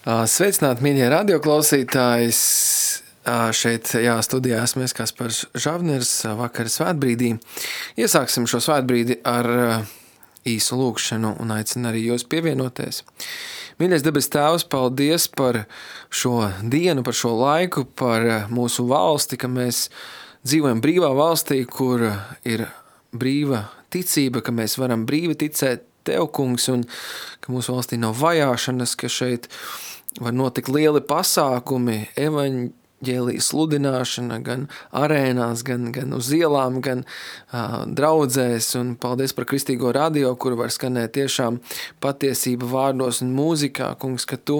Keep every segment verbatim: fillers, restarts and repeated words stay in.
Sveicināti, mīļie radioklausītājs. Šeit, jā, studijā esmu es Kaspars Žavners, vakara svētbrīdī. Iesāksim šo svētbrīdi ar īsu lūgšanu un aicinu arī jūs pievienoties. Mīļais debes Tēvs, paldies par šo dienu, par šo laiku, par mūsu valsti, ka mēs dzīvojam brīvā valstī, kur ir brīva ticība, ka mēs varam brīvi ticēt Tev, kungs, un ka mūsu valstī nav vajāšanas, ka šeit var notikt lieli pasākumi, evaņģēlijas sludināšana gan arēnās, gan, gan uz ielām, gan uh, draudzēs, un paldies par kristīgo radio, kur var skanēt tiešām patiesība vārdos un mūzikā, kungs, ka Tu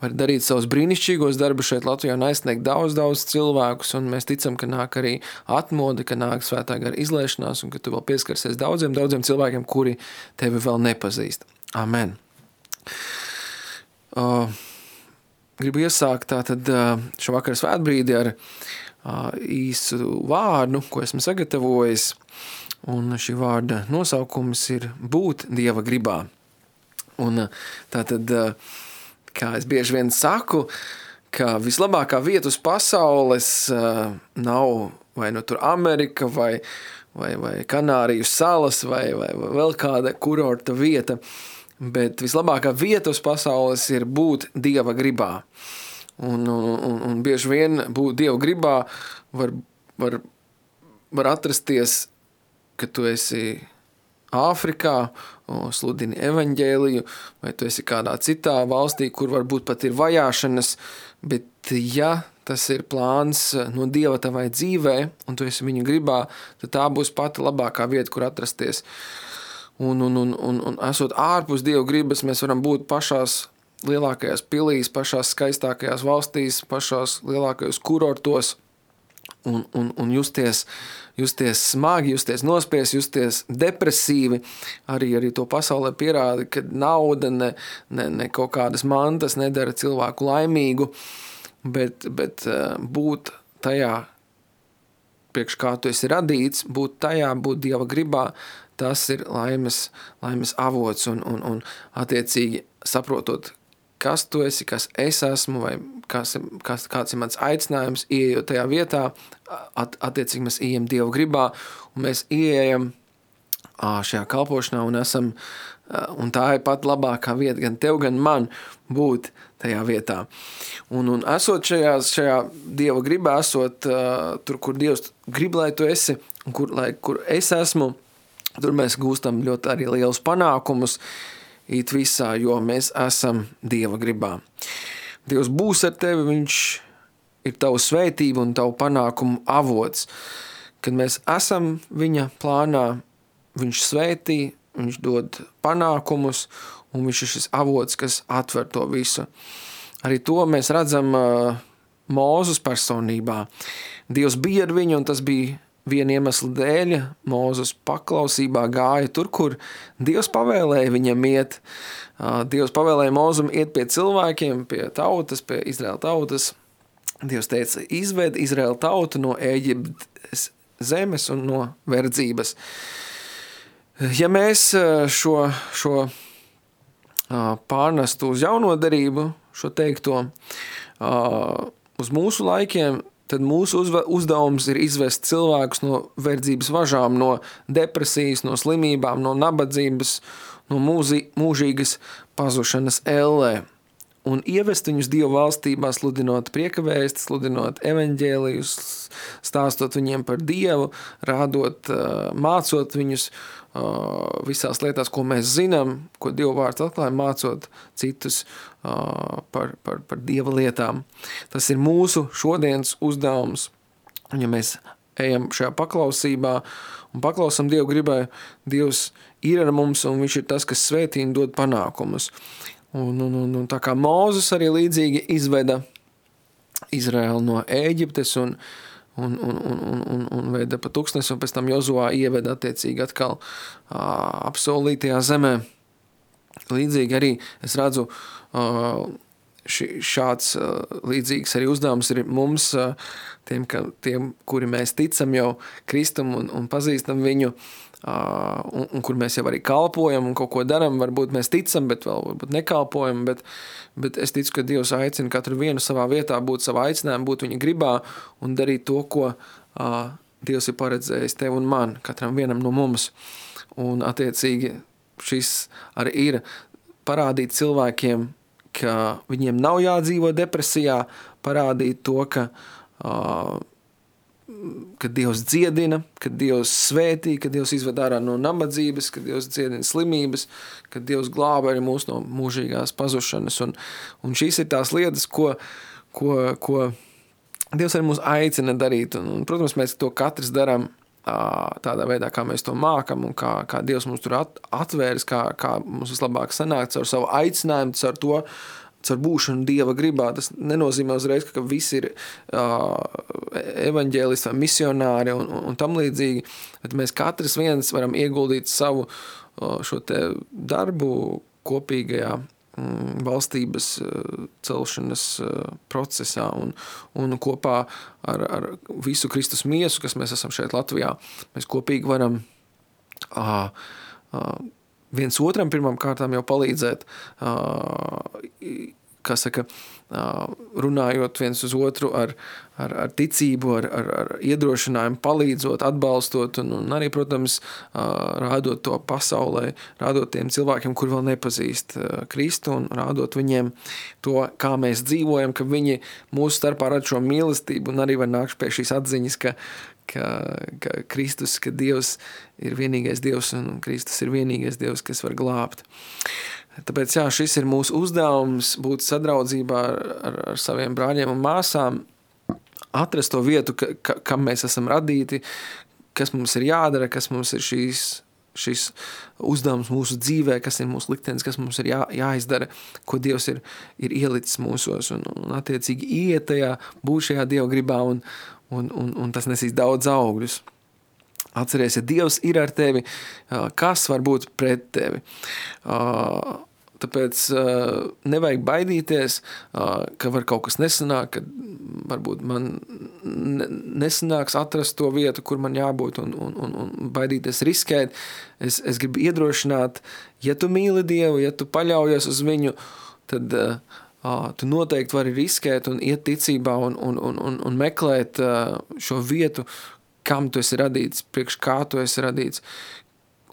vari darīt savus brīnišķīgos darbus šeit Latvijā un aizsniegt daudz, daudz cilvēkus, un mēs ticam, ka nāk arī atmoda, ka nāk svētā gara izliešanās, un ka Tu vēl pieskarsies daudziem, daudziem cilvēkiem, kuri Tevi vēl nepazīst. Amen. Uh, Gribu iesākt tātad šo vakaru svētbrīdi ar īsu vārdu, ko esmu sagatavojis, un šī vārda nosaukums ir būt Dieva gribā. Un tātad, kā es bieži vien saku, ka vislabākā vieta uz pasaules nav vai nu tur Amerika, vai, vai, vai Kanāriju salas, vai, vai, vai vēl kāda kurorta vieta, bet vislabākā vieta uz pasaules ir būt Dieva gribā. Un, un, un bieži vien būt Dieva gribā var, var, var atrasties, ka tu esi Āfrikā, sludini evaņģēliju, vai tu esi kādā citā valstī, kur varbūt pat ir vajāšanas, bet ja tas ir plāns no Dieva tavai dzīvē, un tu esi viņa gribā, tad tā būs pati labākā vieta, kur atrasties. Un, un, un, un, un esot ārpus Dieva gribas, mēs varam būt pašās lielākajās pilīs, pašās skaistākajās valstīs, pašās lielākajos kurortos un, un, un justies, justies smagi, justies nospies, justies depresīvi. Arī, arī to pasaulē pierāda, ka nauda, ne, ne, ne kaut kādas mantas nedara cilvēku laimīgu, bet, bet būt tajā, priekš kā tu esi radīts, būt tajā, būt Dieva gribā, tas ir laimes, laimes avots un, un, un attiecīgi saprotot, kas tu esi, kas es esmu, vai kas, kas, kāds ir mans aicinājums, ieejot tajā vietā, at, attiecīgi mēs ieejam Dieva gribā, un mēs ieejam šajā kalpošanā un esam, un tā ir pat labākā vieta gan tev, gan man būt tajā vietā. Un, un esot šajā, šajā Dieva gribā, esot uh, tur, kur Dievs grib, lai tu esi, un kur, lai, kur es esmu, tur mēs gūstam ļoti arī lielus panākumus it visā, jo mēs esam Dieva gribā. Dievs būs ar tevi, viņš ir tavu svētību un tavu panākumu avots. Kad mēs esam viņa plānā, viņš svētī, viņš dod panākumus, un viņš ir šis avots, kas atver to visu. Arī to mēs redzam uh, Mūzes personībā. Dievs bija ar viņu, un tas bija viena iemesla dēļ. Mūzes paklausībā gāja tur, kur Dievs pavēlēja viņam iet. Uh, Dievs pavēlēja Mūzum iet pie cilvēkiem, pie tautas, pie Izraēla tautas. Dievs teica, izved Izraēla tautu no Ēģiptes zemes un no verdzības. Ja mēs šo, šo pārnestu uz jauno derību, šo teikto, uz mūsu laikiem, tad mūsu uzdevums ir izvest cilvēkus no verdzības važām, no depresijas, no slimībām, no nabadzības, no mūzi, mūžīgas pazušanas ellē. Un ievest viņus Dieva valstībā, sludinot prieka vēsti, sludinot evaņģēlijus, stāstot viņiem par Dievu, rādot, mācot viņus visās lietās, ko mēs zinām, ko Dieva vārds atklāja, mācot citus par, par, par Dieva lietām. Tas ir mūsu šodienas uzdevums. Un ja mēs ejam šajā paklausībā un paklausam Dievu gribai, Dievs ir ar mums un viņš ir tas, kas svētī un dod panākumus. Un, un, un, un tā kā Mūzes arī līdzīgi izveda Izraēlu no Ēģiptes un, un, un, un, un, un veda pa tūkstnesi, un pēc tam Jozuā ieveda attiecīgi atkal uh, apsolītajā zemē. Līdzīgi arī es redzu uh, ši, šāds līdzīgs arī uzdevums ir mums, tiem, ka, tiem kuri mēs ticam jau Kristum un, un pazīstam viņu, un, un kur mēs jau arī kalpojam un kaut ko daram, varbūt mēs ticam, bet vēl varbūt nekalpojam, bet, bet es ticu, ka Dievs aicina katru vienu savā vietā būt savā aicinājumā, būt viņa gribā un darīt to, ko uh, Dievs ir paredzējis tev un man, katram vienam no mums. Un attiecīgi šis arī ir parādīt cilvēkiem, ka viņiem nav jādzīvo depresijā, parādīt to, ka uh, ka Dievs dziedina, ka Dievs svētī, ka Dievs izved ārā no nabadzības, ka Dievs dziedina slimības, ka Dievs glāba arī mūs no mūžīgās pazušanas. Un, un šīs ir tās lietas, ko, ko, ko Dievs arī mūs aicina darīt. Un, un, protams, mēs to katrs daram tādā veidā, kā mēs to mākam un kā, kā Dievs mums tur at, atvērs, kā, kā mums vislabāk sanāk caur savu aicinājumu, caur to, caur būšanu Dieva gribā. Tas nenozīmē uzreiz, ka visi ir uh, evaņģēlisti vai misionāri un, un, un tam līdzīgi, bet mēs katrs viens varam ieguldīt savu uh, šo te darbu kopīgajā um, valstības uh, celšanas uh, procesā un, un kopā ar, ar visu Kristus miesu, kas mēs esam šeit Latvijā. Mēs kopīgi varam uh, uh, viens otram pirmām kārtām jau palīdzēt, kā saka, runājot viens uz otru ar, ar, ar ticību, ar, ar, ar iedrošinājumu, palīdzot, atbalstot un, un arī, protams, rādot to pasaulē, rādot tiem cilvēkiem, kuri vēl nepazīst Kristu un rādot viņiem to, kā mēs dzīvojam, ka viņi mūsu starpā rada šo mīlestību un arī var nākt pie šīs atziņas, ka Ka, ka Kristus, ka Dievs ir vienīgais Dievs un Kristus ir vienīgais Dievs, kas var glābt. Tāpēc, jā, šis ir mūsu uzdevums būt sadraudzībā ar, ar, ar saviem brāļiem un māsām, atrast to vietu, ka, ka, kam mēs esam radīti, kas mums ir jādara, kas mums ir šīs, šis uzdevums mūsu dzīvē, kas ir mūsu liktenis, kas mums ir jā, jāizdara, ko Dievs ir, ir ielicis mūsos un, un attiecīgi iet tajā, būt šajā Dieva gribā un Un, un, un tas nesīs daudz augļus. Atceries, ja Dievs ir ar tevi, kas var būt pret tevi? Tāpēc nevajag baidīties, ka var kaut kas nesanāk, ka varbūt man nesanāks atrast to vietu, kur man jābūt un, un, un, un baidīties riskēt. Es, es gribu iedrošināt, ja tu mīli Dievu, ja tu paļaujies uz viņu, tad Uh, tu noteikti vari riskēt un iet ticībā un, un, un, un, un meklēt uh, šo vietu, kam tu esi radīts, priekš kā tu esi radīts.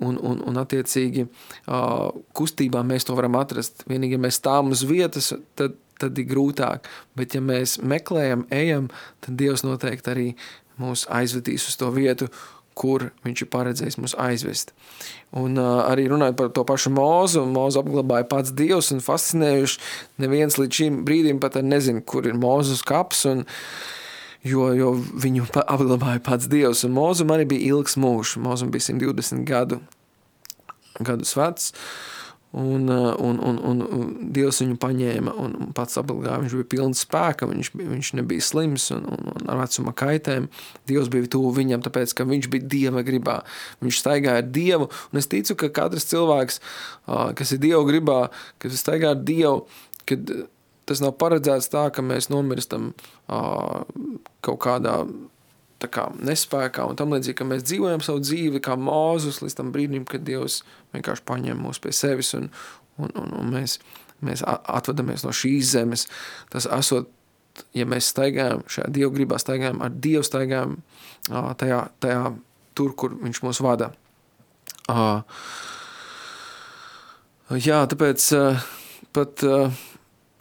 Un, un, un attiecīgi uh, kustībā mēs to varam atrast. Vienīgi, ja mēs stāvam uz vietas, tad, tad ir grūtāk. Bet ja mēs meklējam, ejam, tad Dievs noteikti arī mūs aizvedīs uz to vietu, kur viņš ir paredzējis mūs aizvest. Un uh, arī runājot par to pašu Mozu, Mozu apglabāja pats Dievs un fascinējuši neviens līdz šim brīdim pat nezinu, kur ir Mozus kaps, un, jo, jo viņu apglabāja pats Dievs. Un Mozum arī bija ilgs mūžs. Mozum bija simt divdesmit gadu, gadus vecs, un, un, un, un, un Dievs viņu paņēma un pats apglabāja. Viņš bija pilns spēka, viņš, viņš nebija slims un, un, un ar vecuma kaitēm. Dievs bija tuvu viņam, tāpēc, ka viņš bija Dieva gribā. Viņš staigāja ar Dievu, un es ticu, ka katrs cilvēks, kas ir Dieva gribā, kas staigā ar Dievu, kad tas nav paredzēts tā, ka mēs nomirstam kaut kādā tā kā nespēkā un tam līdzīgi, ka mēs dzīvojam savu dzīvi kā Mozus līdz tam brīdim, kad Dievs vienkārši paņem mūs pie sevis un, un, un, un mēs, mēs atvadamies no šīs zemes. Tas esot, ja mēs staigājam šajā Dieva gribā, staigājam ar Dievu, staigājam tajā, tajā tur, kur viņš mūs vada. Jā, tāpēc pat,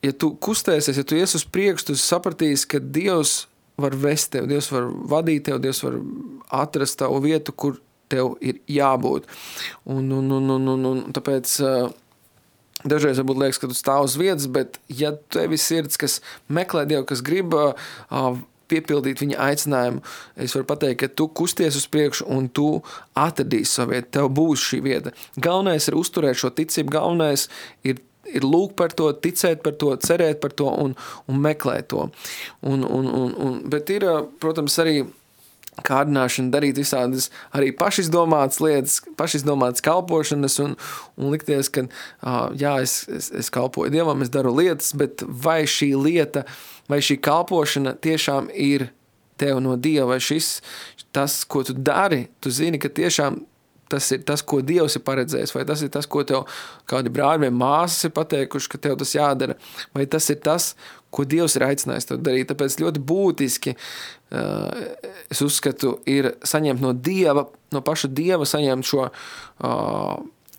ja tu kustēsies, ja tu ies uz priekšu, tu sapratīsi, ka Dievs var vest tev, Dievs var vadīt tev, Dievs var atrast tavu vietu, kur tev ir jābūt. Un, un, un, un, un, un tāpēc dažreiz varbūt liekas, ka tu stāv uz vietas, bet ja tevi sirds, kas meklē Dievu, kas grib piepildīt viņa aicinājumu, es varu pateikt, ka tu kusties uz priekšu un tu atradīsi savu vietu, tev būs šī vieta. Galvenais ir uzturēt šo ticību, galvenais ir ir lūgt par to, ticēt par to, cerēt par to un, un meklēt to. Un, un, un, un, bet ir, protams, arī kārdināšana, darīt visādas arī pašizdomātas lietas, pašizdomātas kalpošanas un, un likties, ka jā, es, es, es kalpoju Dievam, es daru lietas, bet vai šī lieta, vai šī kalpošana tiešām ir tev no Dieva, vai šis, tas, ko tu dari, tu zini, ka tiešām tas ir tas, ko Dievs ir paredzējis, vai tas ir tas, ko tev kādi brāļi vai māsas ir pateikuši, ka tev tas jādara, vai tas ir tas, ko Dievs ir aicinājis tev darīt. Tāpēc ļoti būtiski, uh, es uzskatu, ir saņemt no Dieva, no paša Dieva saņemt šo uh,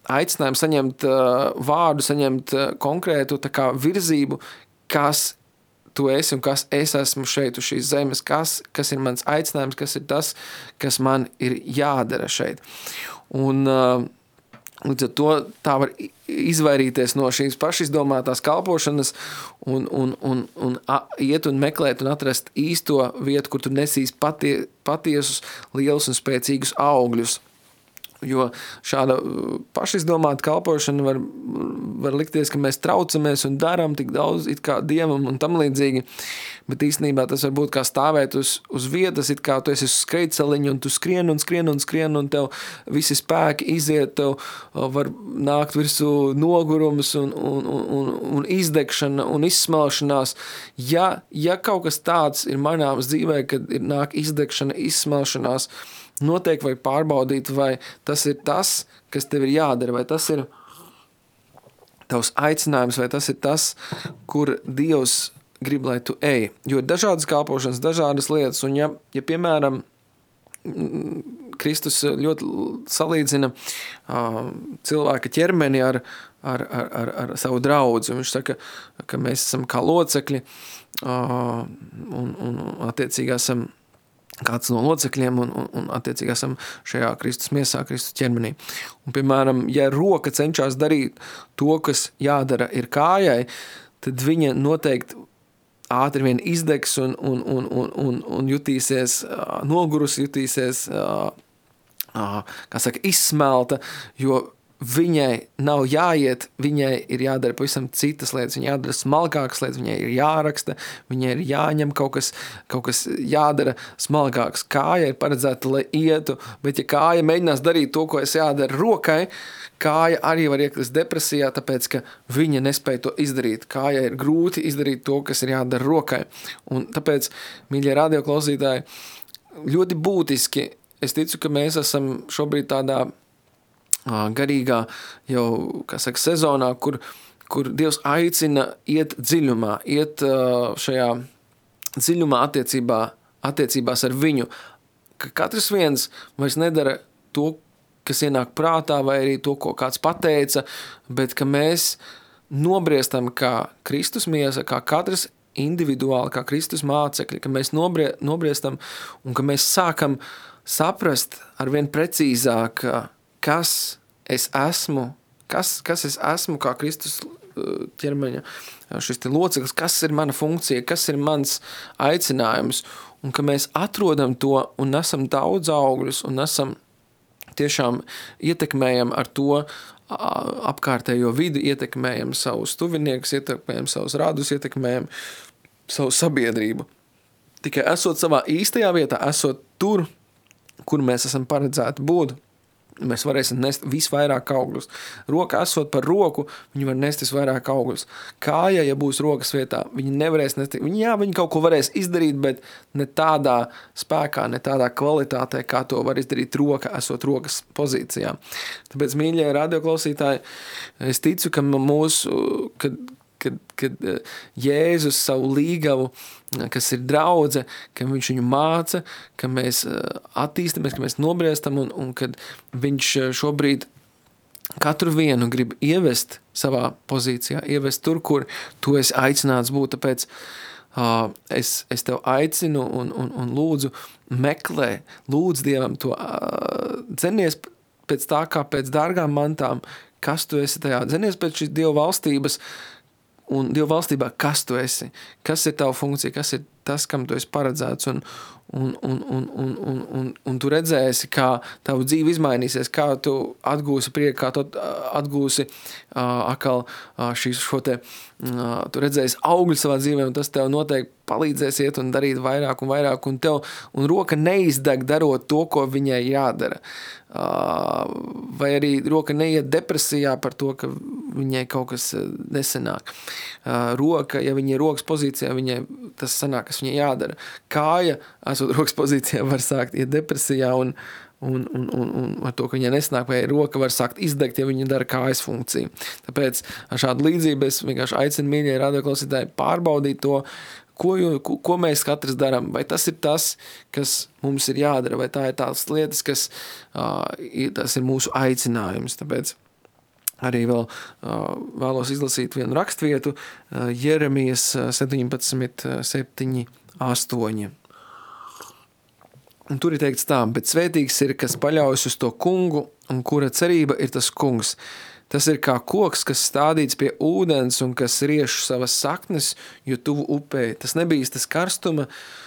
aicinājumu, saņemt uh, vārdu, saņemt uh, konkrētu tā kā virzību, kas tu esi un kas es esmu šeit uz šīs zemes, kas, kas ir mans aicinājums, kas ir tas, kas man ir jādara šeit. Un uh, līdz ar to tā var izvairīties no šīs pašizdomātās kalpošanas un, un, un, un a, iet un meklēt un atrast īsto vietu, kur tu nesīs patie, patiesus, lielus un spēcīgus augļus. Jo šāda pašizdomāta kalpošana var, var likties, ka mēs traucamies un darām tik daudz it kā Dievam un tam līdzīgi, bet īstenībā tas var būt kā stāvēt uz, uz vietas, it kā tu esi uz skrejceliņu un tu skrien un skrien un skrien un tev visi spēki iziet, tev var nākt virsū nogurums un, un, un, un izdegšana un izsmelšanās. Ja, ja kaut kas tāds ir manāms dzīvē, kad ir nāk izdegšana, izsmelšanās, noteikti vai pārbaudīt, vai tas ir tas, kas tev ir jādara, vai tas ir tavs aicinājums, vai tas ir tas, kur Dievs grib, lai tu ej. Jo ir dažādas kalpošanas, dažādas lietas, un ja, ja piemēram, Kristus ļoti salīdzina uh, cilvēka ķermeni ar, ar, ar, ar, ar savu draudzi. Viņš saka, ka mēs esam kā locekļi uh, un, un attiecīgi esam kāds no locekļiem un, un, un attiecīgi esam šajā Kristus miesā, Kristus ķermenī. Un, piemēram, ja roka cenšas darīt to, kas jādara ir kājai, tad viņa noteikti ātri vien izdegs un, un, un, un, un, un jutīsies uh, nogurus, jutīsies, uh, uh, kā saka, izsmelta, jo viņai nav jāiet, viņai ir jādara pavisam citas lietas, viņai jādara smalkākas lietas, viņai ir jāraksta, viņai ir jāņem kaut kas, kaut kas jādara smalkāks. Kāja ir paredzēta, lai ietu, bet ja kāja mēģinās darīt to, ko es jādara rokai, kāja arī var iekrist depresijā, tāpēc, ka viņa nespēja to izdarīt. Kāja ir grūti izdarīt to, kas ir jādara rokai. Un tāpēc, mīļie radioklausītāji, ļoti būtiski, es ticu, ka mēs esam šobrīd tādā garīgā jau, kā saka, sezonā, kur, kur Dievs aicina iet dziļumā, iet šajā dziļumā attiecībā, attiecībās ar viņu, ka katrs viens vairs nedara to, kas ienāk prātā, vai arī to, ko kāds pateica, bet ka mēs nobriestam kā Kristus miesa, kā katrs individuāli, kā Kristus mācekļi, ka mēs nobrie, nobriestam un ka mēs sākam saprast arvien precīzāk, kas es esmu, kas, kas es esmu kā Kristus ķermeņa, šis te loceklis, kas ir mana funkcija, kas ir mans aicinājums, un ka mēs atrodam to un nesam daudz augļus un nesam tiešām ietekmējam ar to apkārtējo vidi, ietekmējam savus tuviniekus, ietekmējam savus radus, ietekmējam savu sabiedrību. Tikai esot savā īstajā vietā, esot tur, kur mēs esam paredzēti būt, mēs varēsim nest visvairāk augļus. Roka esot par roku, viņi var nest visvairāk augļus. Kāja, ja būs rokas vietā, viņi nevarēs nest, viņi, jā, viņi kaut ko varēs izdarīt, bet ne tādā spēkā, ne tādā kvalitātē, kā to var izdarīt roka, esot rokas pozīcijā. Tāpēc, mīļie radioklausītāji, es ticu, ka mūsu, kad, kad, kad Jēzus savu līgavu, kas ir draudze, ka viņš viņu māca, ka mēs attīstamies, ka mēs nobriestam un, un kad viņš šobrīd katru vienu grib ievest savā pozīcijā, ievest tur, kur tu esi aicināts būt, tāpēc uh, es, es tev aicinu un, un, un lūdzu meklē, lūdz Dievam to uh, dzenies pēc tā kā pēc dārgām mantām, kas tu esi tajā, dzenies pēc šīs Dieva valstības, un Dieva valstībā, kas tu esi, kas ir tava funkcija, kas ir tas, kam tu esi paredzēts, un, un, un, un, un, un, un, un tu redzēsi, kā tavu dzīve izmainīsies, kā tu atgūsi prieku, kā tu atgūsi uh, atkal uh, šīs, šo te, uh, tu redzēsi augļu savā dzīvē, un tas tev noteikti palīdzēs iet un darīt vairāk un vairāk, un tev, un roka neizdeg darot to, ko viņai jādara. Uh, vai arī roka neiet depresijā par to, ka viņai kaut kas nesanāk. Uh, roka, ja viņa ir rokas pozīcijā, viņai tas sanāk, kas viņai jādara. Kāja, esot rokas pozīcijā, var sākt iet depresijā un, un, un, un, un ar to, ka viņai nesanāk, vai roka var sākt izdegt, ja viņa dara kājas funkciju. Tāpēc ar šādu līdzību es vienkārši aicinu mīļie radioklausītāji pārbaudīt to, Ko, ko, ko mēs katrs darām, vai tas ir tas, kas mums ir jādara, vai tā ir tās lietas, kas uh, ir, tas ir mūsu aicinājums. Tāpēc arī vēl uh, vēlos izlasīt vienu rakstvietu, uh, Jeremijas septiņpadsmit, septiņi, astoņi. Un tur ir teikts tā, bet svētīgs ir, kas paļaujas uz to kungu, un kura cerība ir tas kungs. Tas ir kā koks, kas stādīts pie ūdens un kas rieš savas saknes, jo tuvu upē. Tas nebīstas karstuma,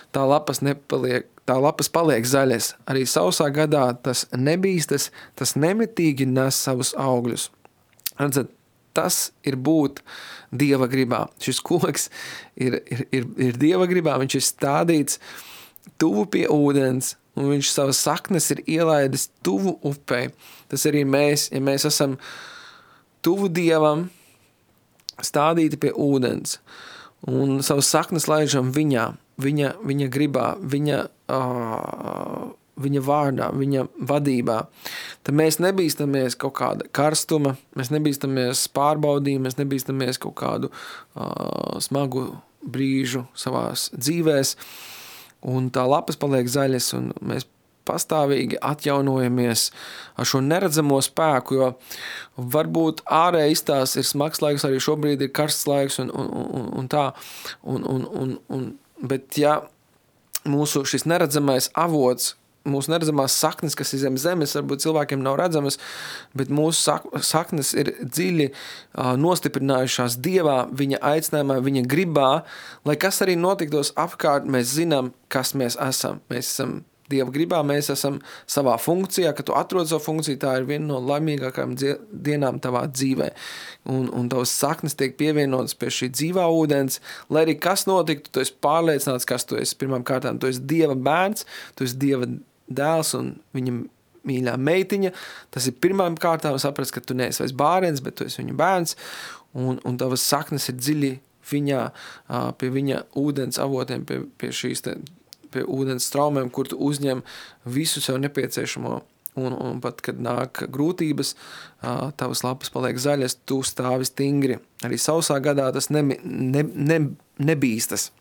tā lapas, nepaliek, tā lapas paliek zaļas. Arī sausā gadā tas nebīstas, tas nemitīgi nes savus augļus. Redzat, tas ir būt Dieva gribā. Šis koks ir, ir, ir, ir Dieva gribā, viņš ir stādīts tuvu pie ūdens, un viņš savas saknes ir ielaidis tuvu upē. Tas arī mēs, ja mēs esam tuvu Dievam, stādīti pie ūdens, un savas saknes laižam viņā, viņa, viņa gribā, viņa, uh, viņa vārdā, viņa vadībā. Tad mēs nebīstamies kaut kāda karstuma, mēs nebīstamies pārbaudījumu, mēs nebīstamies kaut kādu uh, smagu brīžu savās dzīvēs, un tā lapas paliek zaļas, un mēs pastāvīgi atjaunojamies ar šo neredzamo spēku, jo varbūt ārēji izstās ir smags laiks, arī šobrīd ir karsts laiks un, un, un, un tā, un, un, un, un, bet ja mūsu šis neredzamais avots, mūsu neredzamās saknes, kas ir zem zemes, varbūt cilvēkiem nav redzamas, bet mūsu sak saknes ir dziļi uh, nostiprinājušās Dievā, viņa aicinājumā, viņa gribā, lai kas arī notiktos apkārt, mēs zinām, kas mēs esam. Mēs esam Dieva gribā, mēs esam savā funkcijā, kad tu atrod savu funkciju, tā ir viena no laimīgākajām dienām tavā dzīvē. Un, un tavas saknes tiek pievienotas pie šī dzīvā ūdens, lai arī kas notiktu, tu esi pārliecināts, kas tu esi. Pirmām kārtām, tu esi Dieva bērns, tu esi Dieva dēls un viņa mīļā meitiņa. Tas ir pirmām kārtām saprast, ka tu neesi vairs bērns, bet tu esi viņa bērns, un, un tavas saknes ir dziļi viņā, pie viņa ūdens avotiem, pie, pie šīs te pie ūdens straumēm, kur tu uzņem visu sev nepieciešamo, un, un pat, kad nāk grūtības, tavas lapas paliek zaļas, tu stāvi stingri. Arī sausā gadā tas ne, ne, ne, nebīstas,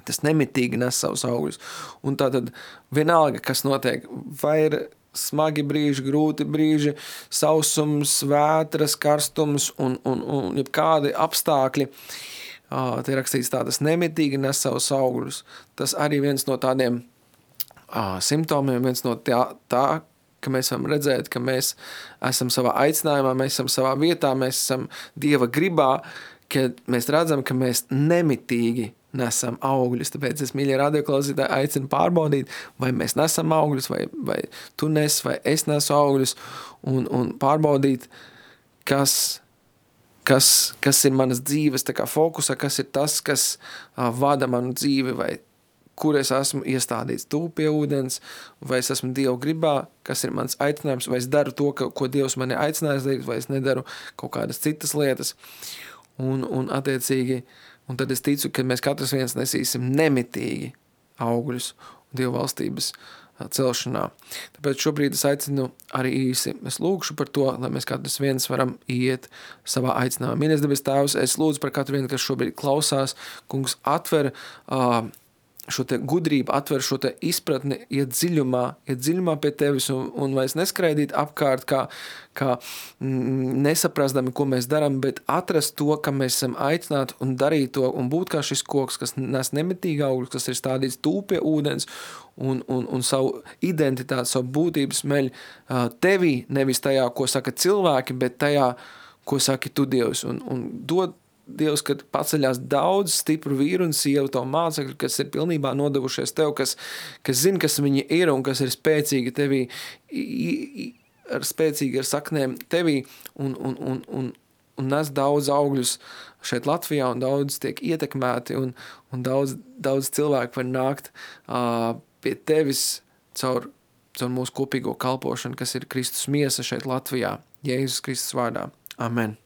tas nemitīgi nes savus augļus. Un tātad vienalga, kas notiek, vai ir smagi brīži, grūti brīži, sausums, vētras, karstums un, un, un jebkādi apstākļi, Uh, te rakstīts tā, tas nemitīgi nes savus augļus. Tas arī viens no tādiem uh, simptomiem, viens no tā, tā, ka mēs varam redzēt, ka mēs esam savā aicinājumā, mēs esam savā vietā, mēs esam Dieva gribā, kad mēs redzam, ka mēs nemitīgi nesam augļus. Tāpēc es, mīļie radioklausītāji, aicinu pārbaudīt, vai mēs nesam augļus, vai, vai tu nes, vai es nesu augļus, un, un pārbaudīt, kas Kas, kas ir manas dzīves tā kā fokusā, kas ir tas, kas uh, vada manu dzīvi, vai kur es esmu iestādīts tuvu pie ūdens, vai es esmu Dieva gribā, kas ir mans aicinājums, vai es daru to, ka, ko Dievs mani aicinājis darīt, vai es nedaru kaut kādas citas lietas. Un, un attiecīgi, un tad es ticu, ka mēs katrs viens nesīsim nemitīgi augļus Dieva valstības celšanā. Tāpēc šobrīd es aicinu arī īsi, es lūkšu par to, lai mēs katrs viens varam iet savā aicinājumā. Mīļais debes Tēvs, es lūdzu par katru vienu, kas šobrīd klausās, kungs atver uh, šo te gudrību, atver šo te izpratni, iet dziļumā, iet dziļumā pie tevis un, un vairs neskraidīt apkārt, kā, kā mm, nesaprastami, ko mēs darām, bet atrast to, ka mēs esam aicināti un darīt to un būt kā šis koks, kas nes nemitīgi augļus, kas ir stādīts tuvu pie ūdens un, un, un savu identitāti, savu būtību smeļ uh, tevī, nevis tajā, ko saka cilvēki, bet tajā, ko saki tu Dievs, un, un dod Dievs, kad paceļās daudz stipru vīru un sievu to mācekļu, kas ir pilnībā nodevušies Tev, kas, kas zina, kas viņi ir un kas ir spēcīgi Tevī, ar spēcīgi ar saknēm Tevī un, un, un, un, un nes daudz augļus šeit Latvijā un daudz tiek ietekmēti un, un daudz, daudz cilvēku var nākt uh, pie Tevis caur, caur mūsu kopīgo kalpošanu, kas ir Kristus miesa šeit Latvijā. Jēzus Kristus vārdā. Amen.